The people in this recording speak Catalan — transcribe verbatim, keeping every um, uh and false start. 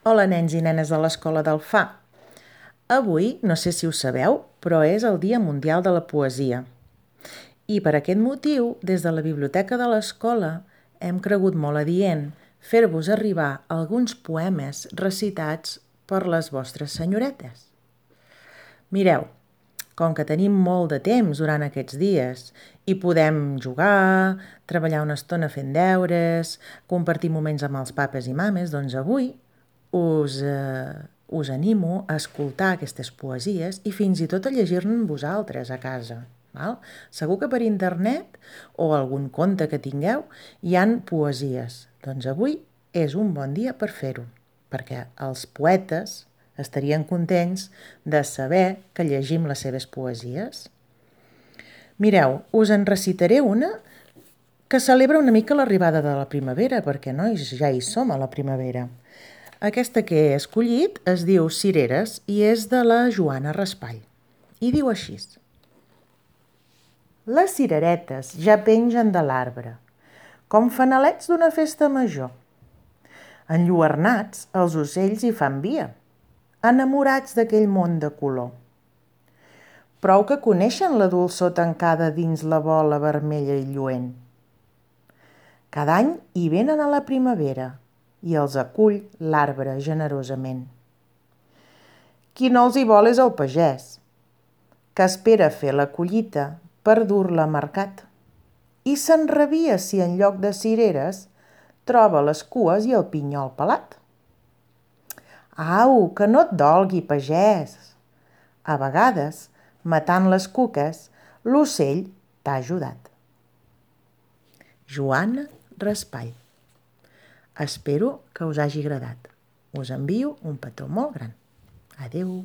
Hola, nens i nenes de l'Escola del F A. Avui, no sé si ho sabeu, però és el Dia Mundial de la Poesia. I per aquest motiu, des de la biblioteca de l'escola, hem cregut molt adient fer-vos arribar alguns poemes recitats per les vostres senyoretes. Mireu, com que tenim molt de temps durant aquests dies i podem jugar, treballar una estona fent deures, compartir moments amb els papes i mames, doncs avui us, eh, us animo a escoltar aquestes poesies i fins i tot a llegir-ne amb vosaltres a casa. Val? Segur que per internet o algun conte que tingueu hi han poesies. Doncs avui és un bon dia per fer-ho, perquè els poetes estarien contents de saber que llegim les seves poesies. Mireu, us en recitaré una que celebra una mica l'arribada de la primavera, perquè, nois, ja hi som a la primavera. Aquesta que he escollit es diu Cireres i és de la Joana Raspall. I diu així: les cireretes ja pengen de l'arbre, com fanalets d'una festa major. Enlluernats, els ocells hi fan via, enamorats d'aquell món de color. Prou que coneixen la dolçor tancada dins la bola vermella i lluent. Cada any hi venen a la primavera i els acull l'arbre generosament. Qui no els hi vol és el pagès, que espera fer la collita per dur-la a mercat i s'enrabia si en lloc de cireres troba les cues i el pinyol pelat. Au, que no et dolgui, pagès! A vegades, matant les cuques, l'ocell t'ha ajudat. Joana Raspall. Espero que us hagi agradat. Us envio un petó molt gran. Adeu!